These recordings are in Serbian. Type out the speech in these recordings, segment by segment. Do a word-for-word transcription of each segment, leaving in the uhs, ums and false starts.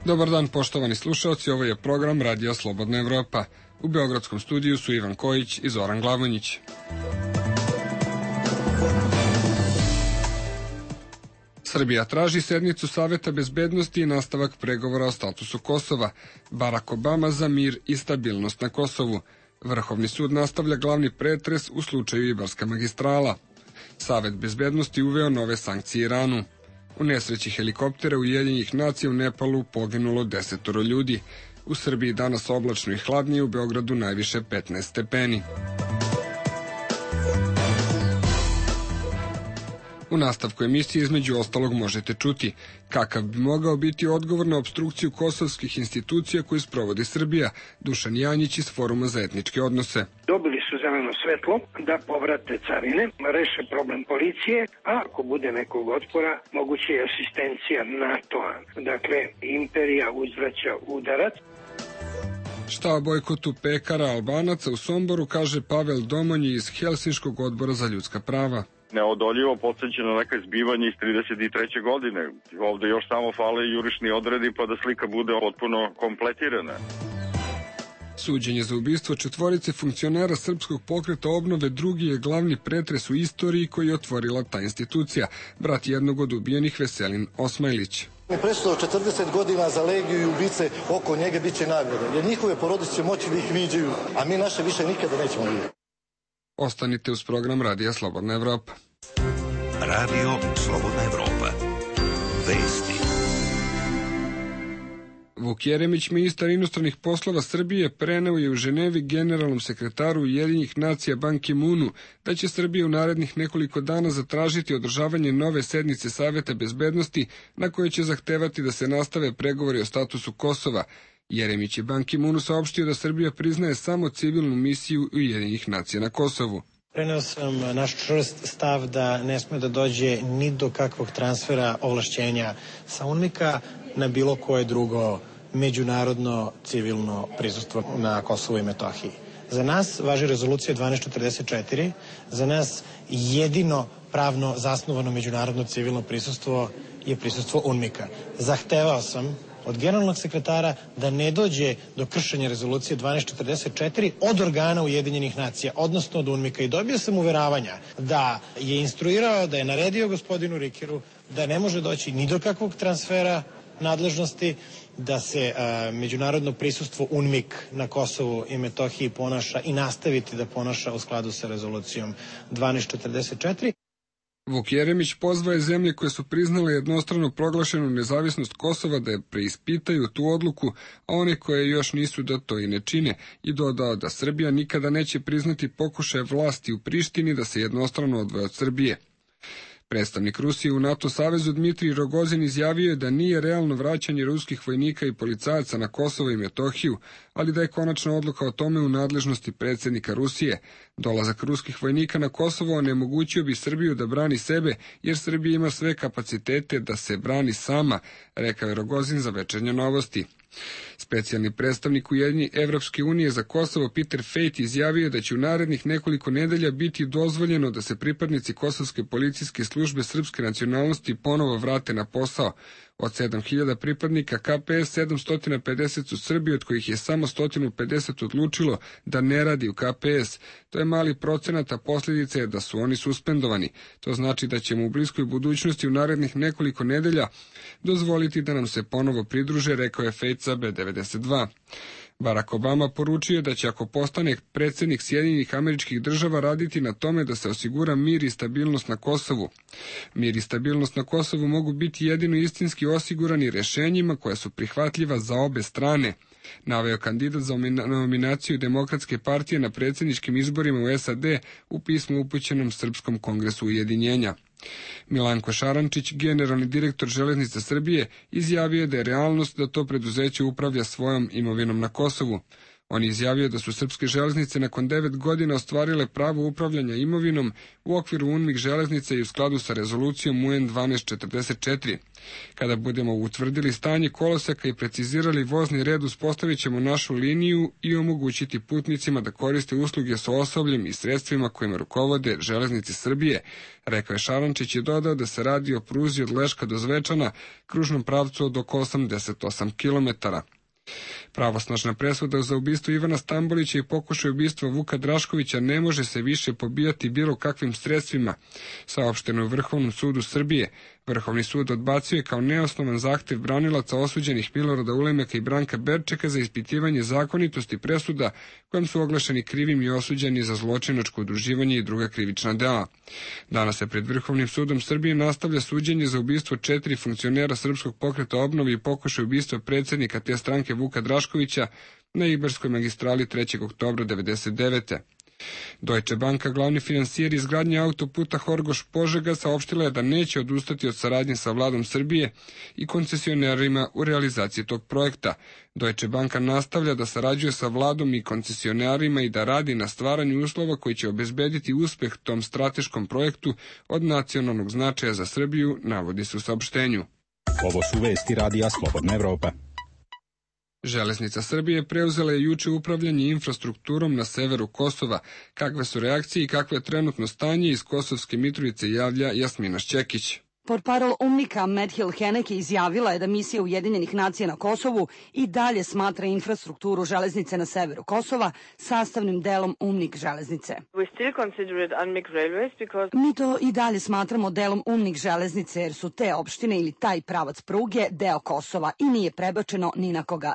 Dobar dan, poštovani slušalci, ovo je program Radija Slobodna Evropa. U beogradskom studiju su Ivan Kojić i Zoran Glavonjić. Srbija traži sednicu Saveta bezbednosti i nastavak pregovora o statusu Kosova. Barack Obama za mir i stabilnost na Kosovu. Vrhovni sud nastavlja glavni pretres u slučaju Ibarska magistrala. Savet bezbednosti uveo nove sankcije Iranu. U nesreći helikoptera Ujedinjenih nacija u Nepalu poginulo desetoro ljudi. U Srbiji danas oblačno i hladnije, u Beogradu najviše petnaest stepeni. U nastavku emisije između ostalog možete čuti kakav bi mogao biti odgovor na opstrukciju kosovskih institucija koju sprovodi Srbija. Dušan Janjić iz Foruma za etničke odnose. Dobili su zeleno svetlo da povrate carine, reše problem policije, a ako bude nekog otpora, moguće je asistencija NATO-a. Dakle, imperija uzvraća udarac. Šta o bojkotu pekara Albanaca u Somboru kaže Pavel Domonji iz Helsinškog odbora za ljudska prava. Neodoljivo podsjeća na neke zbivanje iz trideset treće godine. Ovde još samo fale jurišni odredi pa da slika bude potpuno kompletirana. Suđenje za ubistvo četvorice funkcionera Srpskog pokreta obnove drugi je glavni pretres u istoriji koji je otvorila ta institucija. Brat jednog od ubijenih, Veselin Osmajlić. Prešlo četrdeset godina za legiju i ubice oko njega bit će nagrada, jer njihove porodice će moći da ih viđaju, a mi naše više nikada nećemo vidjeti. Ostanite uz program Radija Slobodna Evropa. Radio Slobodna Evropa. Vesti. Vuk Jeremić, ministar inostranih poslova Srbije, preneo je u Ženevi generalnom sekretaru Ujedinjenih nacija Ban Ki-moonu da će Srbija u narednih nekoliko dana zatražiti održavanje nove sednice Saveta bezbednosti na koje će zahtevati da se nastave pregovori o statusu Kosova. Jeremić je Ban Ki-moonu saopštio da Srbija priznaje samo civilnu misiju Ujedinjenih nacija na Kosovu. Preneo sam naš čvrst stav da ne sme da dođe ni do kakvog transfera ovlašćenja sa UNMIK-a na bilo koje drugo međunarodno civilno prisustvo na Kosovu i Metohiji. Za nas važi rezolucija dvanaest četrdeset četiri, za nas jedino pravno zasnovano međunarodno civilno prisustvo je prisustvo UNMIK-a. Zahtevao sam od generalnog sekretara da ne dođe do kršenja rezolucije dvanaest četrdeset četiri od organa Ujedinjenih nacija, odnosno od UNMIK-a, i dobio sam uveravanja da je instruirao, da je naredio gospodinu Rikeru da ne može doći ni do kakvog transfera nadležnosti, da se a, međunarodno prisustvo UNMIK na Kosovu i Metohiji ponaša i nastaviti da ponaša u skladu sa rezolucijom dvanaest četrdeset četiri. Vuk Jeremić pozvao je zemlje koje su priznale jednostrano proglašenu nezavisnost Kosova da je preispitaju tu odluku, a one koje još nisu da to i ne čine, i dodao da Srbija nikada neće priznati pokušaje vlasti u Prištini da se jednostrano odvoje od Srbije. Predstavnik Rusije u NATO savezu Dmitrij Rogozin izjavio je da nije realno vraćanje ruskih vojnika i policajaca na Kosovo i Metohiju, ali da je konačna odluka o tome u nadležnosti predsjednika Rusije. Dolazak ruskih vojnika na Kosovo onemogućio bi Srbiju da brani sebe, jer Srbija ima sve kapacitete da se brani sama, rekao je Rogozin za Večernje novosti. Specijalni predstavnik Ujedinjene Evropske unije za Kosovo Peter Fejt izjavio da će u narednih nekoliko nedelja biti dozvoljeno da se pripadnici kosovske policijske službe srpske nacionalnosti ponovo vrate na posao. Od sedam hiljada pripadnika K P S sedamsto pedeset su Srbi, od kojih je samo sto pedeset odlučilo da ne radi u K P S. To je mali procenat, a posljedica je da su oni suspendovani. To znači da ćemo u bliskoj budućnosti u narednih nekoliko nedelja dozvoliti da nam se ponovo pridruže, rekao je Fejt za B devedeset dva. Barack Obama poručio da će, ako postane predsjednik Sjedinjenih Američkih Država, raditi na tome da se osigura mir i stabilnost na Kosovu. Mir i stabilnost na Kosovu mogu biti jedino istinski osigurani rješenjima koja su prihvatljiva za obe strane, naveo kandidat za nominaciju Demokratske partije na predsjedničkim izborima u S A D u pismu upućenom Srpskom kongresu ujedinjenja. Milanko Šarančić, generalni direktor Železnica Srbije, izjavio je da je realnost da to preduzeće upravlja svojom imovinom na Kosovu. On je izjavio da su srpske železnice nakon devet godina ostvarile pravo upravljanja imovinom u okviru UNMIK železnice i u skladu sa rezolucijom U N dvanaest četrdeset četiri. Kada budemo utvrdili stanje koloseka i precizirali vozni red, uspostavit ćemo našu liniju i omogućiti putnicima da koriste usluge sa osobljem i sredstvima kojima rukovode Železnice Srbije, rekao je Šarančić i dodao da se radi o pruzi od Leška do Zvečana, kružnom pravcu od oko osamdeset osam kilometara. Pravosnažna presuda za ubistvo Ivana Stambolića i pokušaj ubistva Vuka Draškovića ne može se više pobijati bilo kakvim sredstvima, saopšteno je u Vrhovnom sudu Srbije. Vrhovni sud odbacio je kao neosnovan zahtev branilaca osuđenih Milorada Ulemeka i Branka Berčeka za ispitivanje zakonitosti presuda kojom su oglašeni krivim i osuđeni za zločinačko udruživanje i druga krivična dela. Danas se pred Vrhovnim sudom Srbije nastavlja suđenje za ubistvo četiri funkcionera Srpskog pokreta obnove i pokušaj ubistva predsjednika te stranke Vuka Draškovića na Ibarskoj magistrali trećeg oktobra devedeset devete. Deutsche Banka, glavni finansijer izgradnje autoputa Horgoš-Požega, saopštila je da neće odustati od saradnje sa vladom Srbije i koncesionerima u realizaciji tog projekta. Deutsche Banka nastavlja da sarađuje sa vladom i koncesionerima i da radi na stvaranju uslova koji će obezbediti uspeh tom strateškom projektu od nacionalnog značaja za Srbiju, navodi se u saopštenju. Ovo su vesti Radija Slobodna Evropa. Železnica Srbije preuzela je juče upravljanje infrastrukturom na severu Kosova. Kakve su reakcije i kakvo je trenutno stanje, iz Kosovske Mitrovice javlja Jasmina Šćekić. Portparol UNMIK-a Medhil Heneke izjavila je da misija Ujedinjenih nacija na Kosovu i dalje smatra infrastrukturu železnice na severu Kosova sastavnim delom UNMIK železnice. Mi to i dalje smatramo delom UNMIK železnice jer su te opštine ili taj pravac pruge deo Kosova i nije prebačeno ni na koga.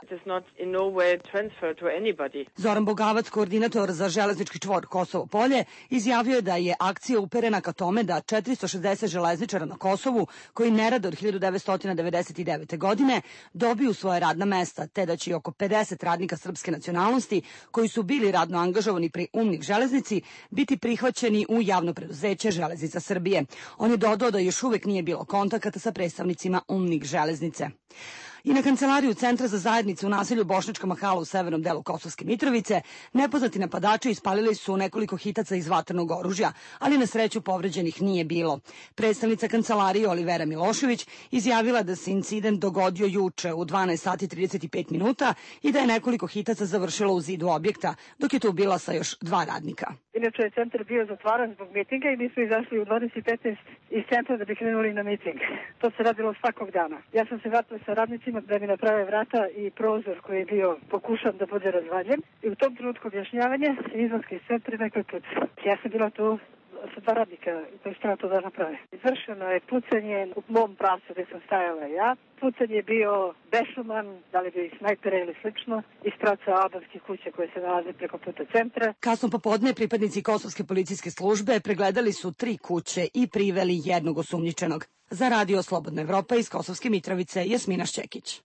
Zoran Bogavac, koordinator za železnički čvor Kosovo polje, izjavio je da je akcija uperena ka tome da četiristo šezdeset železničara na Kosovu koji ne rade od hiljadu devetsto devedeset devete. godine dobiju svoje radna mesta, te da će i oko pedeset radnika srpske nacionalnosti koji su bili radno angažovani pri UNMIK železnici biti prihvaćeni u javno preduzeće Železnica Srbije. On je dodao da još uvek nije bilo kontakata sa predstavnicima UNMIK železnice. I na kancelariju Centra za zajednicu u naselju Bošnjačka Mahala u severnom delu Kosovske Mitrovice nepoznati napadači ispalili su nekoliko hitaca iz vatrenog oružja, ali na sreću povređenih nije bilo. Predstavnica kancelarije Olivera Milošević izjavila da se incident dogodio juče u dvanaest sati i trideset pet minuta i da je nekoliko hitaca završilo u zidu objekta, dok je tu bila sa još dva radnika. Inače je centar bio zatvaran zbog mitinga i mi smo izašli u dvadeset i petnaest iz centra da bi krenuli na miting. To se radilo svakog dana. Ja sam se vratila sa radnicima da mi naprave vrata i prozor koji je bio pokušan da bude razvaljen. I u tom trenutku objašnjavanje izlaska iz centra nekoj put. Ja sam bila tu sa dva radnika koji su to da naprave. Izvršeno je pucanje u mom pravcu gde sam stajala ja. Pucanje je bio bešuman, da li bio i snajpera ili slično, iz pravca albanskih kuća koje se nalaze preko puta centra. Kasno popodne pripadnici Kosovske policijske službe pregledali su tri kuće i priveli jednog osumnjičenog. Za Radio Slobodna Evropa iz Kosovske Mitrovice, Jasmina Šćekić.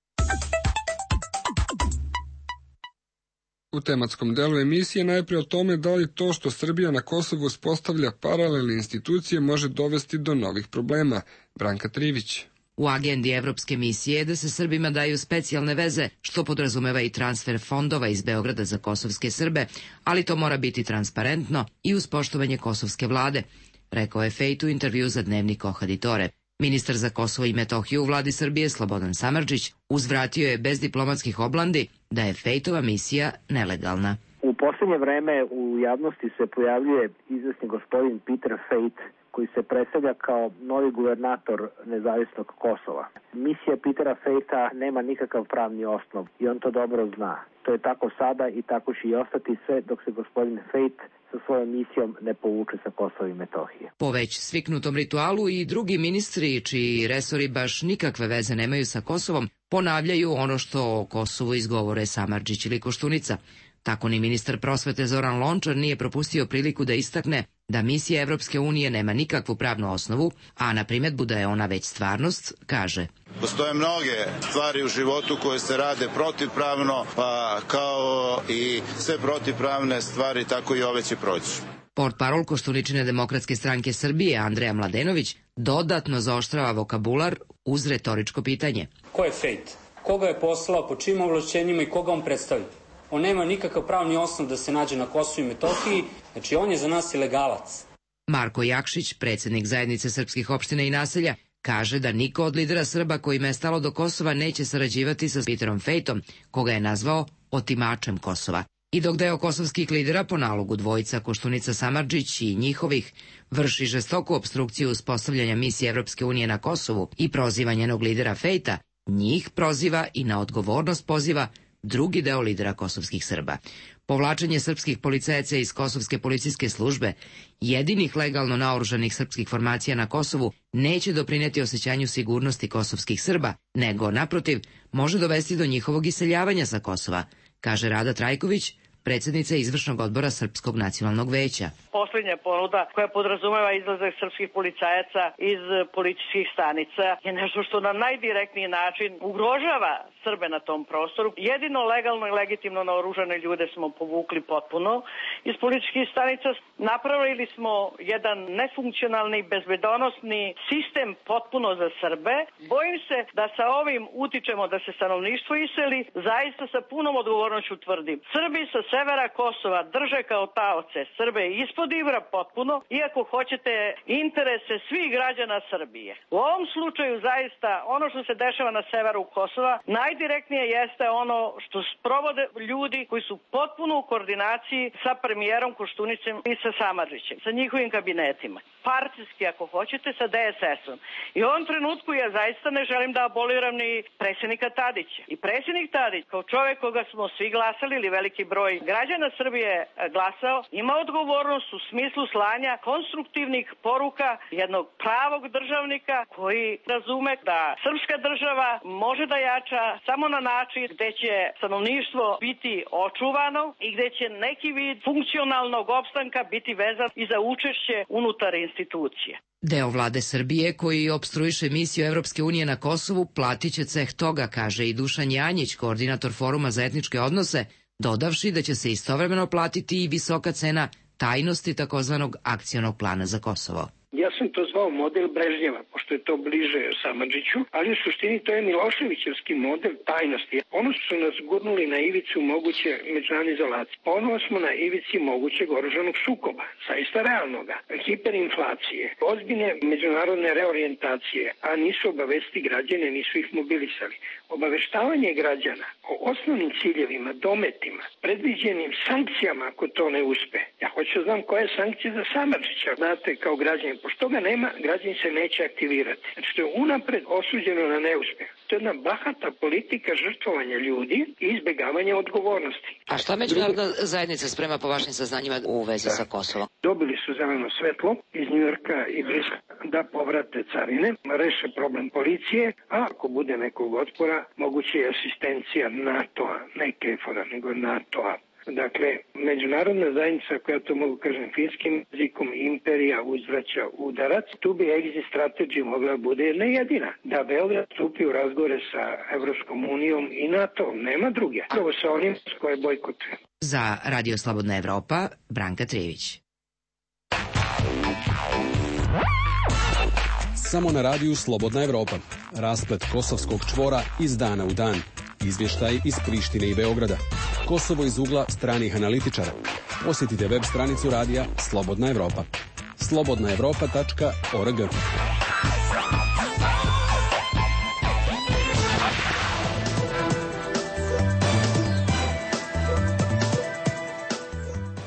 U tematskom delu emisije najprije o tome da li to što Srbija na Kosovu uspostavlja paralelne institucije može dovesti do novih problema. Branka Trivić. U agendi Evropske misije je da se Srbima daju specijalne veze, što podrazumeva i transfer fondova iz Beograda za kosovske Srbe, ali to mora biti transparentno i uz poštovanje kosovske vlade, rekao je Fejt u intervju za dnevnik Ohaditore. Ministar za Kosovo i Metohiju u vladi Srbije Slobodan Samardžić uzvratio je bez diplomatskih oblandi da je Fejtova misija nelegalna. U posljednje vreme u javnosti se pojavljuje izvesni gospodin Peter Fejt, koji se predstavlja kao novi guvernator nezavisnog Kosova. Misija Petera Fejta nema nikakav pravni osnov i on to dobro zna. To je tako sada i tako će i ostati sve dok se gospodin Fejt sa svojom misijom ne povuče sa Kosova i Metohije. Po već sviknutom ritualu i drugi ministri, čiji resori baš nikakve veze nemaju sa Kosovom, ponavljaju ono što o Kosovu izgovore Samardžić ili Koštunica. Tako ni ministar prosvete Zoran Lončar nije propustio priliku da istakne da misija Evropske unije nema nikakvu pravnu osnovu, a na primedbu da je ona već stvarnost, kaže: Postoje mnoge stvari u životu koje se rade protivpravno, pa kao i sve protivpravne stvari, tako i ove će proći. Portparol Koštuničine demokratske stranke Srbije Andreja Mladenović dodatno zaoštrava vokabular uz retoričko pitanje. Ko je Fejt? Koga je poslao, po čim ovlašćenjima i koga on predstavlja? On nema nikakav pravni osnov da se nađe na Kosovu i Metohiji, znači on je za nas ilegalac. Marko Jakšić, predsjednik zajednice srpskih opština i naselja, kaže da niko od lidera Srba kojima je stalo do Kosova neće sarađivati sa Peterom Fejtom, koga je nazvao otimačem Kosova. I dok deo kosovskih lidera po nalogu dvojica Koštunica Samardžić i njihovih vrši žestoku opstrukciju uspostavljanja misije Evropske unije na Kosovu i proziva njenog lidera Fejta, njih proziva i na odgovornost poziva drugi deo lidera kosovskih Srba. Povlačenje srpskih policajaca iz kosovske policijske službe, jedinih legalno naoružanih srpskih formacija na Kosovu, neće doprineti osjećanju sigurnosti kosovskih Srba, nego, naprotiv, može dovesti do njihovog iseljavanja sa Kosova, kaže Rada Trajković, predsjednica izvršnog odbora Srpskog nacionalnog veća. Poslednja ponuda koja podrazumeva izlazak srpskih policajaca iz policijskih stanica je nešto što na najdirektniji način ugrožava Srbe na tom prostoru. Jedino legalno i legitimno naoružane ljude smo povukli potpuno iz policijskih stanica. Napravili smo jedan nefunkcionalni, bezbedonosni sistem potpuno za Srbe. Bojim se da sa ovim utičemo da se stanovništvo iseli. Zaista sa punom odgovornošću tvrdim. Srbi sa severa Kosova drže kao taoce Srbe ispod Ibra potpuno, iako hoćete interese svih građana Srbije. U ovom slučaju zaista ono što se dešava na severu Kosova najdirektnije jeste ono što sprovode ljudi koji su potpuno u koordinaciji sa premijerom Koštunicem i sa Samardžićem, sa njihovim kabinetima. Partijski, ako hoćete, sa D S S-om. I u ovom trenutku ja zaista ne želim da aboliram ni predsjednika Tadića. I predsjednik Tadić, kao čovjek koga smo svi glasali ili veliki broj građana Srbije glasao, ima odgovornost u smislu slanja konstruktivnih poruka jednog pravog državnika koji razume da srpska država može da jača samo na način gde će stanovništvo biti očuvano i gde će neki vid funkcionalnog opstanka biti vezan i za učešće unutar institucije. Deo vlade Srbije koji opstruiše misiju Evropske unije na Kosovu platit će ceh toga, kaže i Dušan Janjić, koordinator Foruma za etničke odnose, dodavši da će se istovremeno platiti i visoka cena tajnosti takozvanog akcionog plana za Kosovo. Ja sam to zvao model Brežnjeva, pošto je to bliže Samardžiću, ali u suštini to je Miloševićevski model tajnosti. Ono su nas gurnuli na ivicu moguće međunarodne izolacije. Ono smo na ivici mogućeg oružanog sukoba, zaista realnoga, hiperinflacije, ozbiljne međunarodne reorijentacije, a nisu obavesti građane, nisu ih mobilisali. Obaveštavanje građana o osnovnim ciljevima, dometima, predviđenim sankcijama ako to ne uspe. Ja hoću da znam koje je sankcije za Samardžića, znate, kao građanin. Pošto toga nema, građani se neće aktivirati. Znači, to je unapred osuđeno na neuspeh. To je jedna bahata politika žrtvovanja ljudi i izbjegavanja odgovornosti. A šta međunarodna zajednica sprema po vašim saznanjima u vezi da. sa Kosovom? Dobili su zeleno svetlo iz Njujorka i Briska da povrate carine, reše problem policije, a ako bude nekog otpora, moguće je asistencija NATO-a, ne KFOR-a, nego NATO-a. Dakle, međunarodna zajednica, koja to mogu kažem finskim jezikom, imperija uzvraća udarac, tu bi exit strategy mogla bude jedna jedina, da Beograd stupi u razgovore sa Evropskom unijom i NATO-om, nema druge. Prvo sa onim s koje bojkotuje. Za Radio Slobodna Evropa, Branka Trijević. Samo na radiju Slobodna Evropa. Rasplet kosovskog čvora iz dana u dan. Izvještaj iz Prištine i Beograda. Kosovo iz ugla stranih analitičara. Posjetite web stranicu radija Slobodna Evropa. slobodna evropa tačka org.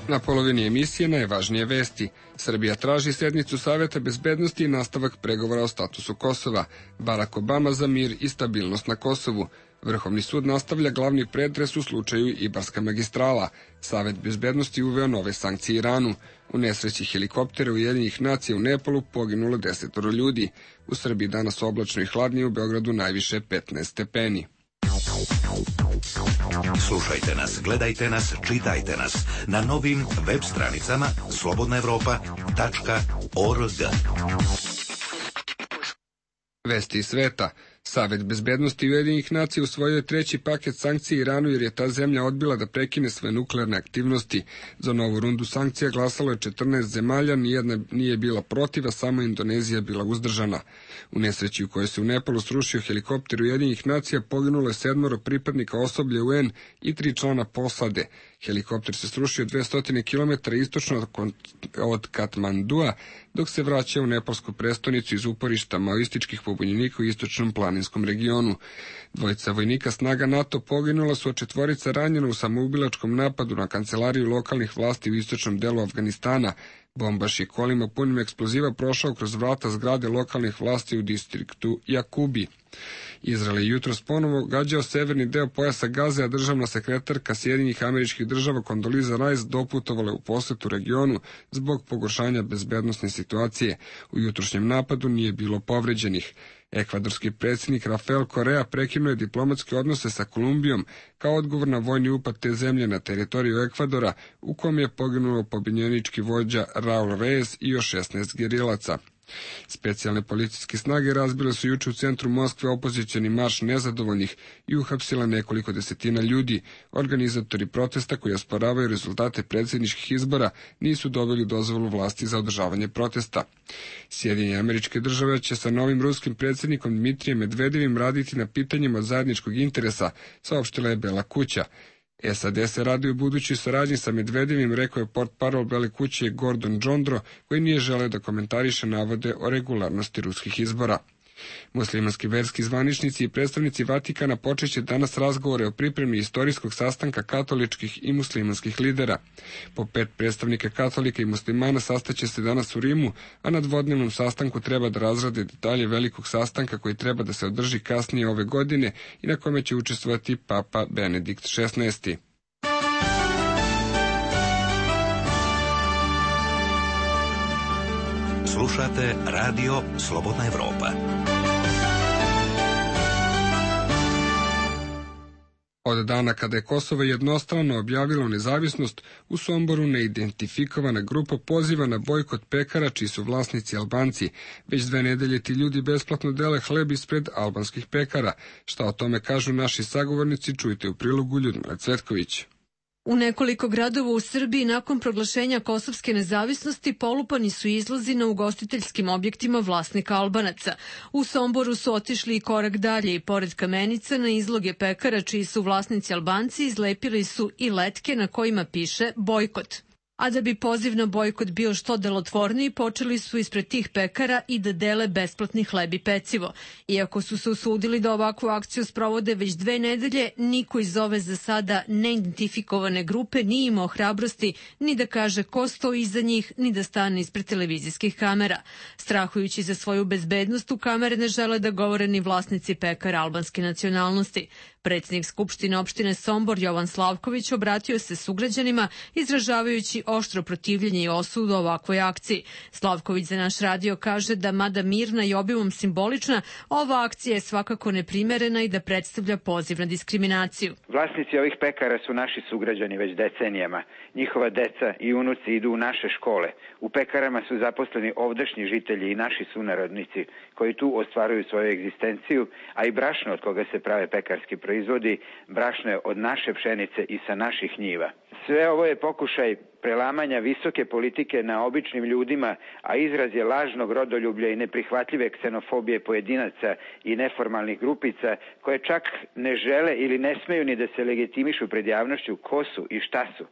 Na polovini emisije najvažnije vesti. Srbija traži sednicu Saveta bezbednosti i nastavak pregovora o statusu Kosova. Barack Obama za mir i stabilnost na Kosovu. Vrhovni sud nastavlja glavni pretres u slučaju Ibarska magistrala. Savet bezbednosti uveo nove sankcije Iranu. U nesreći helikoptera Ujedinjenih nacija u Nepalu poginulo desetoro ljudi. U Srbiji danas oblačno i hladnije, u Beogradu najviše petnaest stepeni. Slušajte nas, gledajte nas, čitajte nas na novim web stranicama slobodna evropa tačka org. Vesti iz sveta. Savet bezbednosti Ujedinjenih nacija usvojio je treći paket sankcija Iranu jer je ta zemlja odbila da prekine svoje nuklearne aktivnosti. Za novu rundu sankcija glasalo je četrnaest zemalja, nijedna nije bila protiv, a samo Indonezija bila uzdržana. U nesreći u kojoj se u Nepalu srušio helikopter Ujedinjenih nacija poginulo je sedmoro pripadnika osoblja U N i tri člana posade. Helikopter se srušio dvesta kilometara istočno od Katmandua, dok se vraćao u nepalsku prestonicu iz uporišta maoističkih pobunjenika u istočnom planinskom regionu. Dvojica vojnika snaga NATO poginula su, a četvorica ranjena u samoubilačkom napadu na kancelariju lokalnih vlasti u istočnom delu Afganistana. Bombaš je kolima punim eksploziva prošao kroz vrata zgrade lokalnih vlasti u distriktu Jakubi. Izrael je jutros ponovo gađao severni deo pojasa Gaze, a državna sekretarka Sjedinjenih Američkih Država Kondoliza Rice doputovala u posetu regionu zbog pogoršanja bezbednosne situacije. U jutrošnjem napadu nije bilo povređenih. Ekvadorski predsjednik Rafael Correa prekinuo je diplomatske odnose sa Kolumbijom kao odgovor na vojni upad te zemlje na teritoriju Ekvadora, u kom je poginuo pobunjenički vođa Raul Reyes i još šesnaest gerilaca. Specijalne policijske snage razbile su juče u centru Moskve opozicioni marš nezadovoljnih i uhapsila nekoliko desetina ljudi. Organizatori protesta koji osporavaju rezultate predsjedničkih izbora nisu dobili dozvolu vlasti za održavanje protesta. Sjedinjene Američke Države će sa novim ruskim predsjednikom Dmitrijem Medvedevim raditi na pitanjima od zajedničkog interesa, saopštila je Bela kuća. S A D se radi u budućoj saradnji sa Medvedevim, rekao je portparol Bele kuće Gordon Džondro, koji nije želeo da komentariše navode o regularnosti ruskih izbora. Muslimanski verski zvaničnici i predstavnici Vatikana počeće danas razgovore o pripremi istorijskog sastanka katoličkih i muslimanskih lidera. Po pet predstavnika katolika i muslimana sastaće se danas u Rimu, a na dvodnevnom sastanku treba da razrade detalje velikog sastanka koji treba da se održi kasnije ove godine i na kome će učestvovati Papa Benedikt šesnaesti. Slušate radio Slobodna Evropa. Od dana kada je Kosovo jednostrano objavilo nezavisnost, u Somboru neidentifikovana grupa poziva na bojkot pekara čiji su vlasnici Albanci. Već dve nedelje ti ljudi besplatno dele hleb ispred albanskih pekara. Šta o tome kažu naši sagovornici, čujte u prilogu Ljudmila Cvetković. U nekoliko gradova u Srbiji nakon proglašenja kosovske nezavisnosti polupani su izlozi na ugostiteljskim objektima vlasnika Albanaca. U Somboru su otišli i korak dalje i pored kamenica na izloge pekara čiji su vlasnici Albanci izlepili su i letke na kojima piše bojkot. A da bi poziv na bojkot bio što delotvorniji, počeli su ispred tih pekara i da dele besplatni hleb i pecivo. Iako su se usudili da ovakvu akciju sprovode već dve nedelje, niko iz ove za sada neidentifikovane grupe nije imao hrabrosti ni da kaže ko stoji iza njih, ni da stane ispred televizijskih kamera. Strahujući za svoju bezbednost, u kamere ne žele da govore ni vlasnici pekara albanske nacionalnosti. Predsjednik Skupštine opštine Sombor Jovan Slavković obratio se sugrađanima izražavajući oštro protivljenje i osudu ovakvoj akciji. Slavković za naš radio kaže da mada mirna i obimom simbolična, ova akcija je svakako neprimerena i da predstavlja poziv na diskriminaciju. Vlasnici ovih pekara su naši sugrađani već decenijama. Njihova deca i unuci idu u naše škole. U pekarama su zaposleni ovdašnji žitelji i naši sunarodnici koji tu ostvaruju svoju egzistenciju, a i brašno od koga se prave pekarski proizvodi, brašno je od naše pšenice i sa naših njiva. Sve ovo je pokušaj prelamanja visoke politike na običnim ljudima, a izraz je lažnog rodoljublja i neprihvatljive ksenofobije pojedinaca i neformalnih grupica koje čak ne žele ili ne smeju ni da se legitimišu pred javnošću ko su i šta su.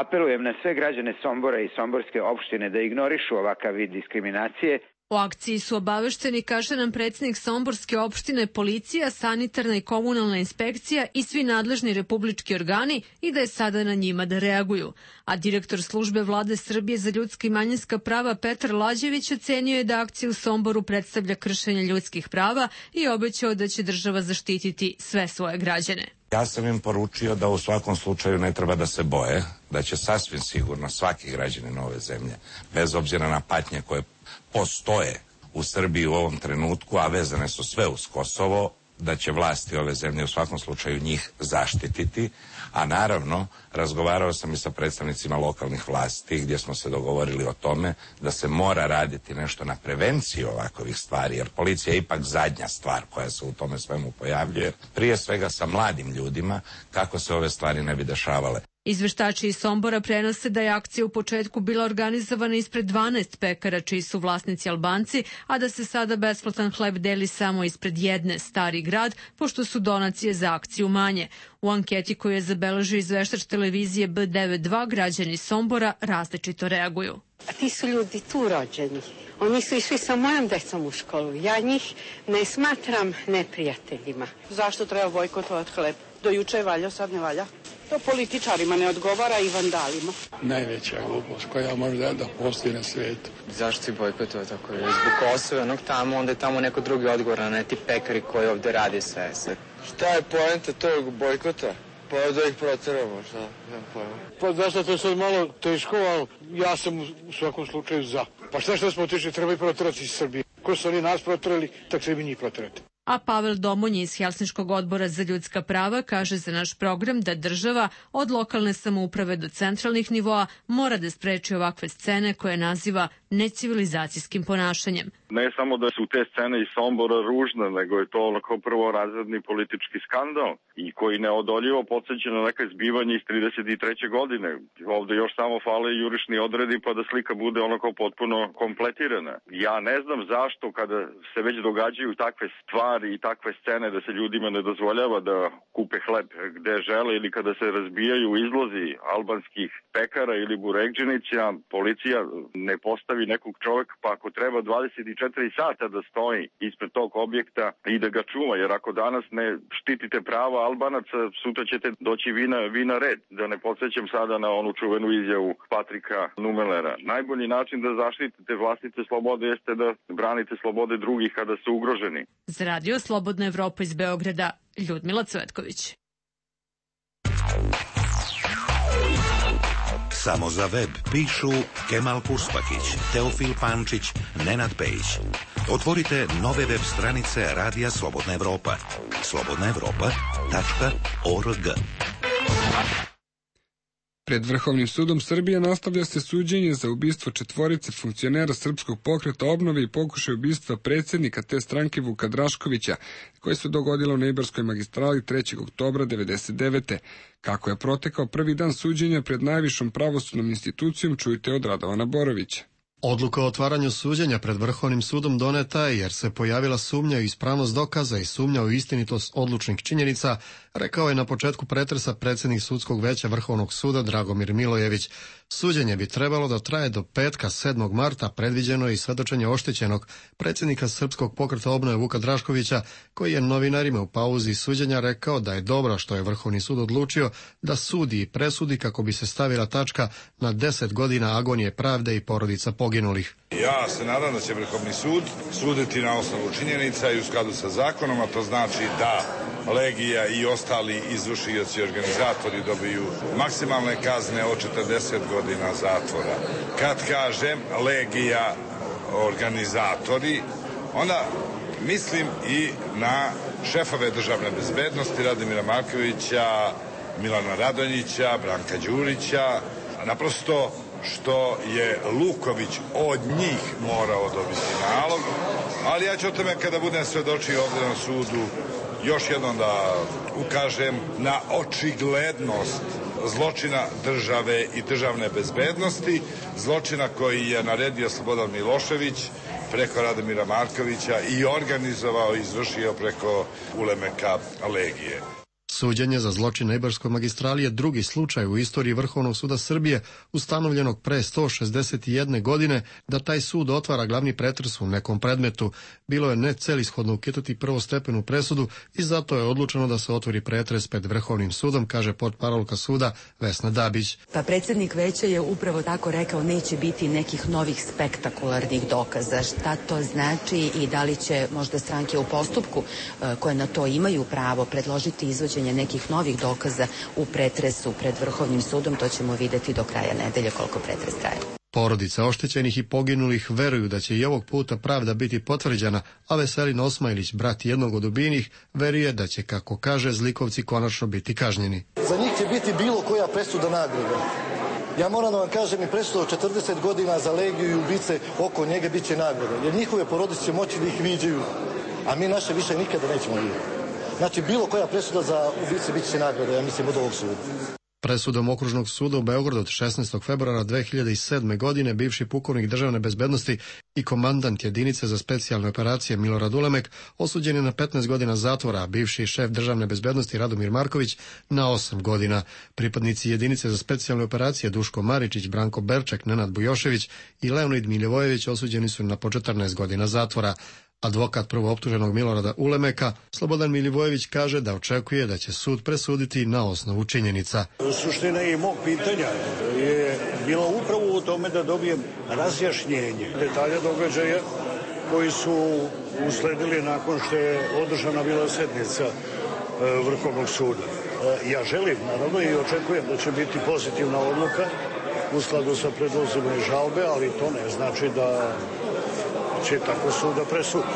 Apelujem na sve građane Sombora i Somborske opštine da ignorišu ovakav vid diskriminacije. O akciji su obavešteni, kaže nam predsjednik Somborske opštine, policija, sanitarna i komunalna inspekcija i svi nadležni republički organi i da je sada na njima da reaguju. A direktor službe Vlade Srbije za ljudska i manjinska prava Petar Lađević ocenio je da akcija u Somboru predstavlja kršenje ljudskih prava i obećao da će država zaštititi sve svoje građane. Ja sam im poručio da u svakom slučaju ne treba da se boje, da će sasvim sigurno svaki građanin ove zemlje, bez obzira na patnje koje postoje u Srbiji u ovom trenutku, a vezane su sve uz Kosovo, da će vlasti ove zemlje u svakom slučaju njih zaštititi, a naravno razgovarao sam i sa predstavnicima lokalnih vlasti gdje smo se dogovorili o tome da se mora raditi nešto na prevenciju ovakvih stvari, jer policija je ipak zadnja stvar koja se u tome svemu pojavljuje, prije svega sa mladim ljudima, kako se ove stvari ne bi dešavale. Izveštači iz Sombora prenose da je akcija u početku bila organizovana ispred dvanaest pekara čiji su vlasnici Albanci, a da se sada besplatan hleb deli samo ispred jedne, Stari grad, pošto su donacije za akciju manje. U anketi koju je zabeležio izveštač televizije B devedeset dva građani Sombora različito reaguju. A ti su ljudi tu rođeni. Oni su išli sa mojom decom u školu. Ja njih ne smatram neprijateljima. Zašto treba bojkotovati hleb? Do juče je valjao, sad ne valja. To političarima ne odgovara i vandalima. Najveća glupost koja može da postoji na svijetu. Zašto si bojkotovao tako? Zbog Kosova onog tamo, onda je tamo neko drugi odgovor, a ne ti pekari koji ovde radi sve. Šta je poenta tog bojkota? Pa da ih proteramo, šta? Nemam pojma. Pa zašto to je sad malo teško, ali ja sam u svakom slučaju za. Pa šta što smo otišli, treba i proterati iz Srbije. Ko su oni nas proterali, tak se i mi njih proterati. A Pavel Domonji iz Helsinškog odbora za ljudska prava kaže za naš program da država od lokalne samouprave do centralnih nivoa mora da spreči ovakve scene koje naziva necivilizacijskim ponašanjem. Ne samo da su te scene iz Sombora ružne, nego je to onako prvorazredni politički skandal i koji neodoljivo podsjeća na neke zbivanje iz trideset treće godine. Ovde još samo fale jurišni odredi pa da slika bude onako potpuno kompletirana. Ja ne znam zašto kada se već događaju takve stvari i takve scene da se ljudima ne dozvoljava da kupe hleb gde žele ili kada se razbijaju izlozi albanskih pekara ili burekdžinića, policija ne postavi nekog čoveka pa ako treba dvadeset četiri sata da stoji ispred tog objekta i da ga čuva, jer ako danas ne štitite prava Albanaca, sutra ćete doći vi na, vi na red. Da ne podsjećam sada na onu čuvenu izjavu Patrika Numelera. Najbolji način da zaštitite vlastite slobode jeste da branite slobode drugih kada su ugroženi. Za radio Slobodna Evropa iz Beograda, Ljudmila Cvetković. Samo za web pišu Kemal Kuspakić, Teofil Pančić, Nenad Pejić. Otvorite nove web stranice Radija Slobodna Evropa. slobodna evropa tačka org. Pred Vrhovnim sudom Srbije nastavlja se suđenje za ubistvo četvorice funkcionera Srpskog pokreta obnove i pokušaj ubistva predsjednika te stranke Vuka Draškovića, koje se dogodilo na Ibarskoj magistrali trećeg oktobra devedeset devete. Kako je protekao prvi dan suđenja pred najvišom pravosudnom institucijom, čujte od Radovana Borovića. Odluka o otvaranju suđenja pred Vrhovnim sudom doneta je jer se pojavila sumnja u ispravnost dokaza i sumnja u istinitost odlučnih činjenica, rekao je na početku pretresa predsjednik sudskog veća Vrhovnog suda Dragomir Milojević. Suđenje bi trebalo da traje do petka sedmog marta, predviđeno je i svedočenje oštećenog predsjednika Srpskog pokreta obnove Vuka Draškovića, koji je novinarima u pauzi suđenja rekao da je dobro što je Vrhovni sud odlučio da sudi i presudi kako bi se stavila tačka na deset godina agonije pravde i porodica poginulih. Ja se nadam da će Vrhovni sud suditi na osnovu činjenica i u skladu sa zakonom, a to znači da Legija i ostali izvršioci i organizatori dobiju maksimalne kazne od četrdeset godina zatvora. Kad kažem Legija, organizatori, onda mislim i na šefove državne bezbednosti Radomira Markovića, Milana Radonjića, Branka Đurića, naprosto što je Luković od njih morao dobiti nalog, ali ja ću o tome kada budem svedočio ovdje na sudu još jednom da ukažem na očiglednost zločina države i državne bezbednosti, zločina koji je naredio Slobodan Milošević preko Radomira Markovića i organizovao i izvršio preko Ulemeka Legije. Suđenje za zločin na Ibarskoj magistrali je drugi slučaj u istoriji Vrhovnog suda Srbije, ustanovljenog pre sto šezdeset jedne godine, da taj sud otvara glavni pretres u nekom predmetu. Bilo je necelishodno ukidati prvostepenu presudu i zato je odlučeno da se otvori pretres pred Vrhovnim sudom, kaže portparolka suda Vesna Dabić. Pa predsjednik veća je upravo tako rekao, neće biti nekih novih spektakularnih dokaza. Šta to znači i da li će možda stranke u postupku koje na to imaju pravo predložiti izvođenje nekih novih dokaza u pretresu pred Vrhovnim sudom, to ćemo videti do kraja nedelje koliko pretres traje. Porodice oštećenih i poginulih veruju da će i ovog puta pravda biti potvrđena, a Veselin Osmajlić, brat jednog od ubijenih, veruje da će, kako kaže, zlikovci konačno biti kažnjeni. Za njih će biti bilo koja presuda nagrada. Ja moram da vam kažem, i presuda od četrdeset godina za Legiju i ubice oko njega bit će nagrada, jer njihove porodice će moći da ih viđaju, a mi naše više nikada nećemo vidjeti. Znači, bilo koja presuda za ubice bit će nagrada, ja mislim, od ovog suda. Presudom Okružnog suda u Beogradu od šesnaestog februara dve hiljade sedme. godine bivši pukovnik državne bezbednosti i komandant jedinice za specijalne operacije Milorad Ulemek osuđen je na petnaest godina zatvora, a bivši šef državne bezbednosti Radomir Marković na osam godina. Pripadnici jedinice za specijalne operacije Duško Maričić, Branko Berček, Nenad Bujošević i Leonid Miljevojević osuđeni su na po četrnaest godina zatvora. Advokat prvooptuženog Milorada Ulemeka, Slobodan Milivojević, kaže da očekuje da će sud presuditi na osnovu činjenica. Suština i mog pitanja je bila upravo u tome da dobijem razjašnjenje detalja događaja koji su usledili nakon što je održana bila sednica Vrhovnog suda. Ja želim, naravno, i očekujem da će biti pozitivna odluka u skladu sa predlozima i žalbe, ali to ne znači da će tako suda presudi.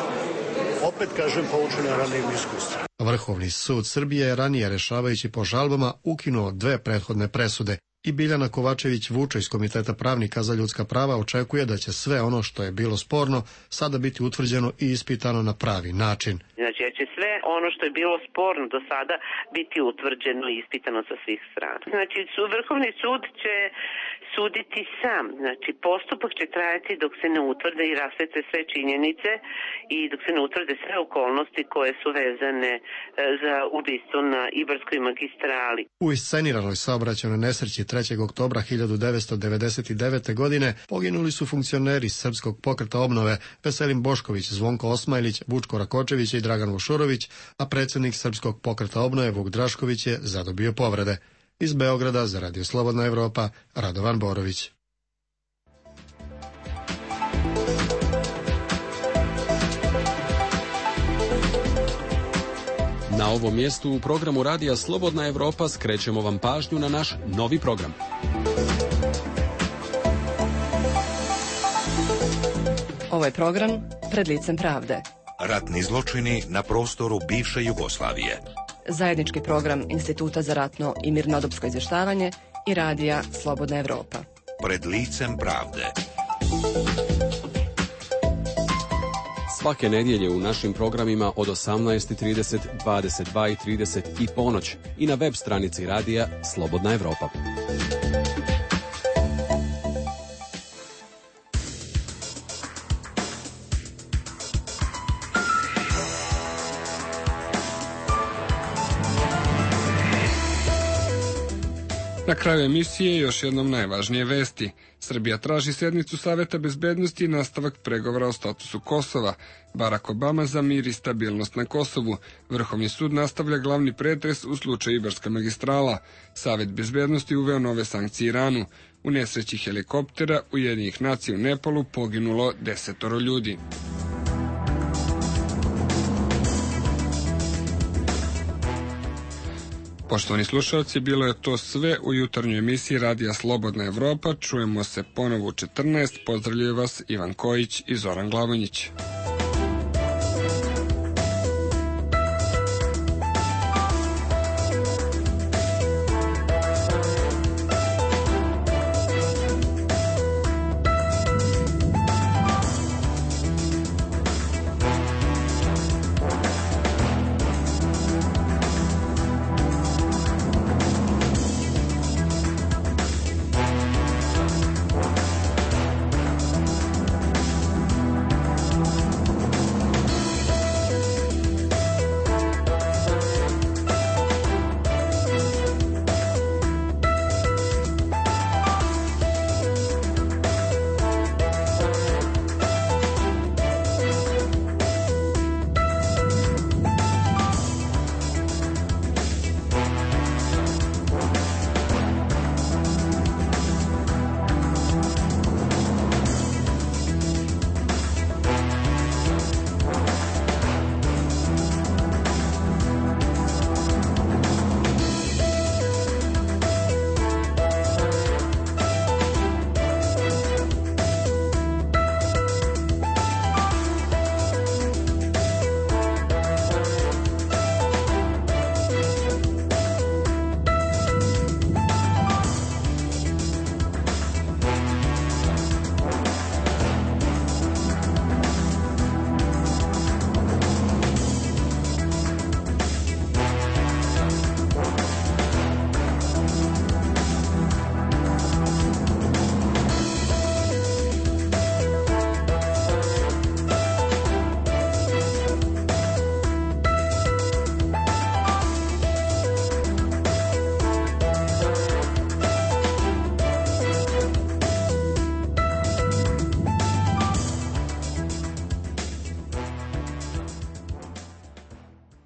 Opet kažem, poučen ranijim iskustvom. Vrhovni sud Srbije je ranije, rešavajući po žalbama, ukinuo dve prethodne presude i Biljana Kovačević-Vučo iz Komiteta pravnika za ljudska prava očekuje da će sve ono što je bilo sporno sada biti utvrđeno i ispitano na pravi način. Znači, da će sve ono što je bilo sporno do sada biti utvrđeno i ispitano sa svih strana. Znači, Vrhovni sud će suditi sam. Znači, postupak će trajati dok se ne utvrde i rasvetle sve činjenice i dok se ne utvrde sve okolnosti koje su vezane za ubistvo na Ibarskoj magistrali. U isceniranoj saobraćajnoj nesreći trećeg oktobra hiljadu devetsto devedeset devete. godine poginuli su funkcioneri Srpskog pokreta obnove Veselin Bošković, Zvonko Osmajlić, Vučko Rakočević i Dragan Vušurović, a predsjednik Srpskog pokreta obnove Vuk Drašković je zadobio povrede. Iz Beograda za Radio Slobodna Evropa, Radovan Borović. Na ovom mjestu u programu Radija Slobodna Evropa skrećemo vam pažnju na naš novi program. Ovo je program Pred licem pravde. Ratni zločini na prostoru bivše Jugoslavije. Zajednički program Instituta za ratno i mirnodopsko izvještavanje i Radija Slobodna Evropa. Pred licem pravde. Svake nedjelje u našim programima od osamnaest i trideset, dvadeset dva i trideset i ponoć i na web stranici Radija Slobodna Evropa. Na kraju emisije još jednom najvažnije vesti. Srbija traži sednicu Saveta bezbednosti i nastavak pregovora o statusu Kosova. Barack Obama za mir i stabilnost na Kosovu. Vrhovni sud nastavlja glavni pretres u slučaju Ibarska magistrala. Savet bezbednosti uveo nove sankcije Iranu. U nesreći helikoptera Ujedinjenih nacija u Nepalu poginulo desetoro ljudi. Poštovani slušalci, bilo je to sve u jutarnjoj emisiji Radija Slobodna Evropa. Čujemo se ponovo u četrnaest. Pozdravljaju vas Ivan Kojić i Zoran Glavonjić.